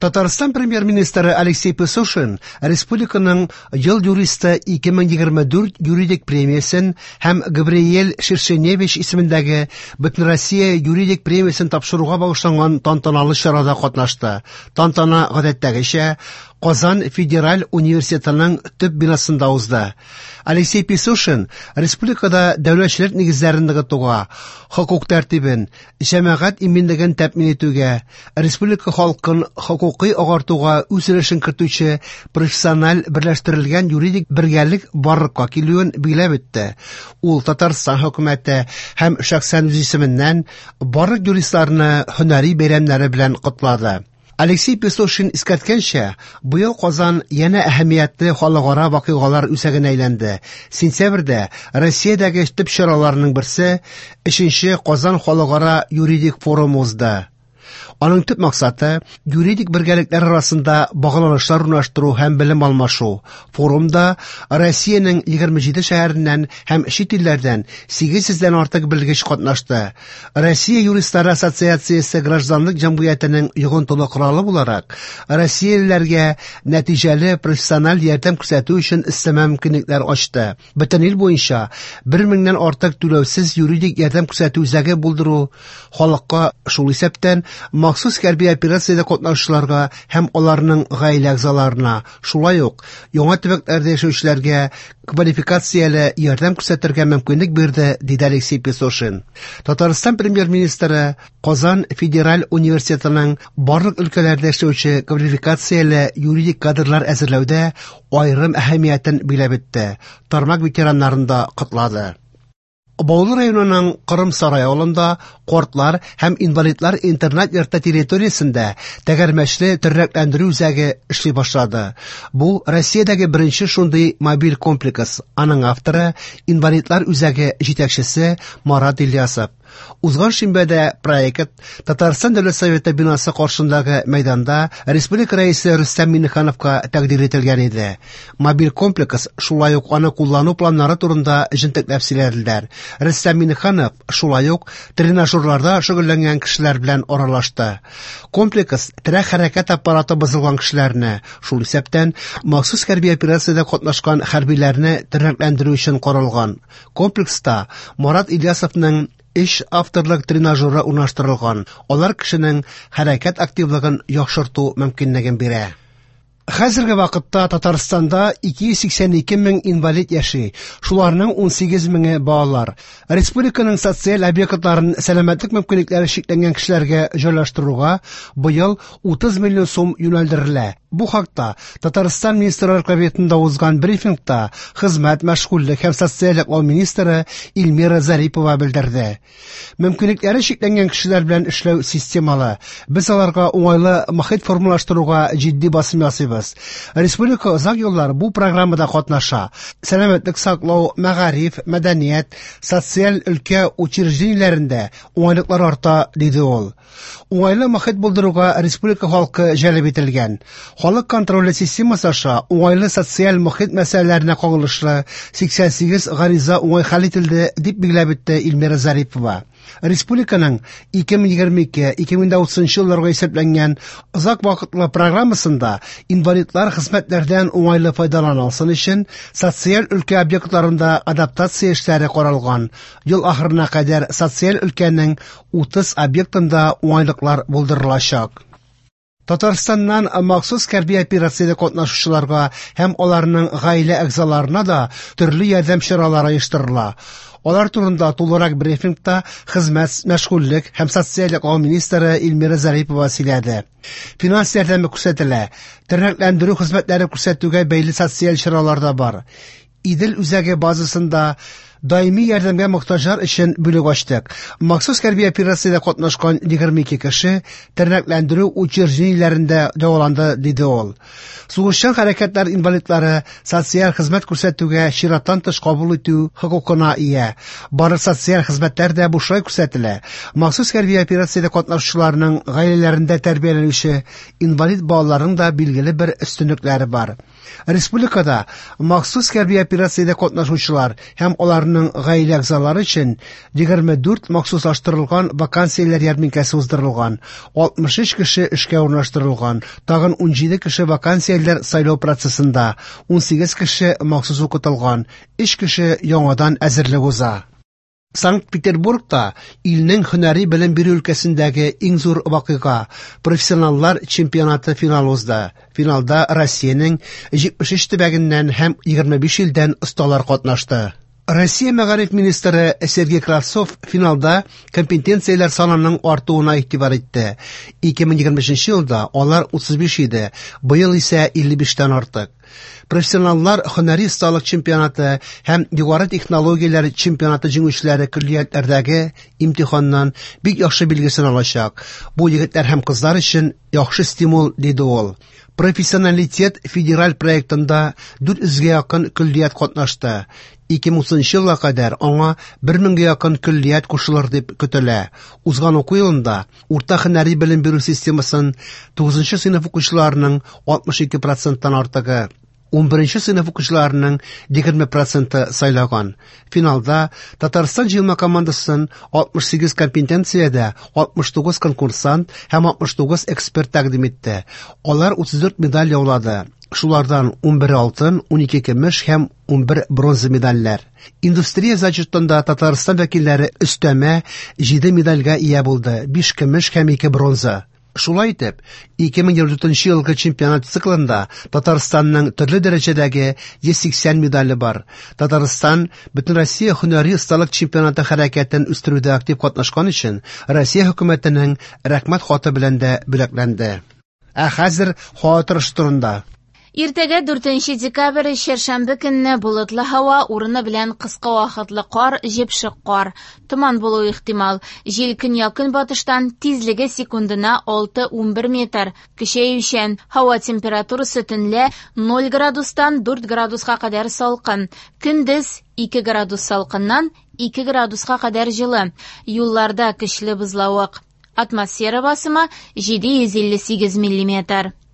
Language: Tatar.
Татарстан премьер-министры Алексей Песошин республиканың Ел юристы 2024 юридик премиясен һәм Габриэль Шершеневич исемендәге Бөтенроссия юридик премиясен тапшыруга багышланган тантаналы чарада катнашты. Тантана гадәттәгечә Казан федераль университетының төп бинасында узды. Алексей Песошин республикада дәүләтчелек нигезләрен ныгытуга, хокук тәртибен, җәмәгать иминлеген тәэмин итүгә, республика халкын хокукый агартуга үз өлешен кертүче профессиональ берләштерелгән юридик бергәлек барлыкка килүен билгеләп үтте. Ул Татарстан хөкүмәте һәм шәхсән үз исеменнән барлык юристларны һөнәри бәйрәмнәре белән котлады. Алексей Песошин искәрткәнчә, быел Казан янә әһәмиятле халыкара вакыйгалар үзәгенә әйләнде. Сентябрьдә Россиядәге төп чараларның берсе 3нче Казан халыкара юридик форумы узды. Аның төп максаты юридик бергәлекләр арасында багланышлар урнаштыру һәм белем алмашу. Форумда Россиянең 27 шәһәреннән һәм чит илләрдән 800дән артык белгеч катнашты. Россия юристлары ассоциациясе гражданлык җәмгыятенең йогынтылы коралы буларак, россиялеләргә нәтиҗәле профессиональ ярдәм күрсәтү өчен өстәмә мөмкинлекләр ачты. Бөтен ил буенча 1 меңнән артык түләүсез юридик ярдәм күрсәтү үзәге булдыру халыкка, шул исәптән махсус хәрби операциядә катнашучыларга һәм аларның гаилә әгъзаларына, шулай ук яңа төбәкләрдә яшәүчеләргә квалификацияле ярдәм күрсәтергә мөмкинлек бирде, диде Алексей Песошин. Татарстан премьер-министры Казан федераль университетының барлык өлкәләрдә эшләүче квалификацияле юридик кадрлар әзерләүдә аерым әһәмиятен билгеләп үтте. Тармак ветераннарын да котлады. Баулы районының Кырым Сарай авылында картлар һәм инвалидлар интернат йорты территориясендә тәгәрмәчле тернәкләндерү үзәге эшли башлады. Бу Россиядәге беренче шундый мобиль комплекс. Аның авторы инвалидлар үзәге җитәкчесе Марат Ильясов. Узган шимбәдә проект Татарстан Дәүләт Советы бинасы каршындагы мәйданда республика рәисе Рөстәм Миңнехановка тәкъдир ителгән иде. Мобиль комплекс шулай ук аны куллану планнары турында җентекләп сөйләделәр. Рөстәм Миңнеханов шулай ук тренажерларда шөгыльләнгән кешеләр белән аралашты. Комплекс терәк хәрәкәт аппараты бозылган кешеләрне, шул исәптән махсус хәрби операциядә катнашкан хәрбиләрне тернәкләндерү өчен каралган. Комплекста Марат Ильясовның өч авторлык тренажеры урнаштырылган. Алар кешенең хәрәкәт активлыгын яхшырту мөмкинлеген бирә. Хәзерге вакытта Татарстанда 282 мең инвалид яши, шуларның 18 меңе балалар. Республиканың социаль объектларын сәламәтлек мөмкинлекләре чикләнгән кешеләргә җайлаштыруга быел 30 миллион сум юнәлдерелә. Бу хакта Татарстан Министрлар Кабинетында узган брифингта хезмәт, мәшгульлек һәм социаль яклау министры Эльмира Зарипова белдерде. Мөмкинлекләре чикләнгән кешеләр белән эшләү системалы. Без аларга уңайлы мохит формалаштыруга җитди басым ясыйбыз. Республика озак еллар бу программада катнаша. Сәламәтлек саклау, мәгариф, мәдәният, социаль өлкә учреждениеләрендә уңайлыклар арта, диде ул. Уңайлы мохит булдыруга республика халкы җәлеп ителгән. Халык контроле системасы аша уңайлы социаль мохит мәсьәләләренә кагылышлы 88 гариза уңай хәл ителде, дип билгеләп үтте Эльмира Зарипова. Республиканың 2022-2030 елларга исәпләнгән озак вакытлы программасында инвалидлар хезмәтләрдән уңайлы файдалана алсын өчен социаль өлкә объектларында адаптация эшләре каралган. Ел ахырына кадәр социаль өлкәнең 30 объектында уңайлыклар булдырылачак. Татарстаннан махсус хәрби операциядә катнашучыларга һәм аларның гаилә әгъзаларына да төрле ярдәм чаралары оештырыла. Алар турында тулырак брифингта хезмәт, мәшгульлек һәм социаль яклау министры Эльмира Зарипова сөйләде. Финанс ярдәме күрсәтелә, тернәкләндерү хезмәтләре күрсәтүгә бәйле социаль чаралар да бар. Идел үзәге базасында даими ярдәмгә мохтаҗлар өчен бүлек ачтык. Махсус хәрби операциядә катнашкан 22 кеше тернәкләндерү учреждениеләрендә дәваланды, диде ул. Сугышчан хәрәкәтләр инвалидлары социаль хезмәт күрсәтүгә чираттан тыш кабул итү хокукына ия. Барлык социаль хезмәтләр дә бушлай күрсәтелә. Махсус хәрби операциядә катнашучыларның гаиләләрендә тәрбияләнүче инвалид балаларның да билгеле бер өстенлекләре бар. Республикада махсус хәрби операциядә катнашучылар һәм аларның аларның гаилә әгъзалары өчен 24 махсуслаштырылган вакансияләр ярминкәсе уздырылган, 63 кеше эшкә урнаштырылган, тагын 17 кеше вакансияләр сайлау процессында, 18 кеше махсус укытылган, 3 кеше яңадан әзерлек уза. Санкт-Петербургта илнең һөнәри белем бирү өлкәсендәге иң зур вакыйга – профессионаллар чемпионаты финалы узды. Финалда Россиянең 73 төбәгеннән һәм 25 илдән осталар катнашты. Россия мәгариф министры Сергей Кравцов финалда компетенцияләр санының артуына игътибар итте. 2025 елда алар 35 иде, быел исә 55тән артык. Профессионаллар һөнәри осталык чемпионаты һәм югары технологияләр чемпионаты җиңүчеләре көллиятләрдәге имтиханнан бик яхшы билгесен алачак. Бу егетләр һәм кызлар өчен яхшы стимул, диде ул. Профессионалитет федераль проектында 400гә якын көллият катнашты. 2030 елга кадәр аңа 1000гә якын көллият кушылыр дип көтелә. Узган уку елында урта һөнәри белем бирү системасын 9 сыйныф укучыларының 62 проценттан артыгы, 11 сыйныф укучыларының 20 проценты сайлаган. Финалда Татарстан җыелма командасын 68 компетенциядә 69 конкурсант һәм 69 эксперт тәкъдим итте. Алар 34 медаль яулады. Шулардан 11 алтын, 12 көмеш һәм 11 бронза медальләр. Индустрия зачетында Татарстан вәкилләре өстәмә 7 медальгә ия булды: 5 көмеш һәм 2 бронза. Шулай итеп, 2024 елгы чемпионат циклында Татарстанның төрле дәрәҗәдәге 180 медале бар. Татарстан Бөтенроссия һөнәри осталык чемпионаты хәрәкәтен үстерүдә актив катнашкан өчен Россия хөкүмәтенең рәхмәт хаты белән дә бүләкләнде. Ә хәзер һава торышы турында. Иртәгә 4 декабрь чәршәмбе көнне болытлы һава, урыны белән кыска вакытлы кар, җепшек кар. Томан булуы ихтимал. Җил көньяк-көнбатыштан, тизлеге секундына 6-11 метр. Көчәючән. Һава температурасы төнлә 0 градустан 4 градуска кадәр салкын. Көндез 2 градус салкыннан 2 градуска кадәр җылы. Юлларда көчле бозлавык. Атмосфера басымы 758 миллиметр.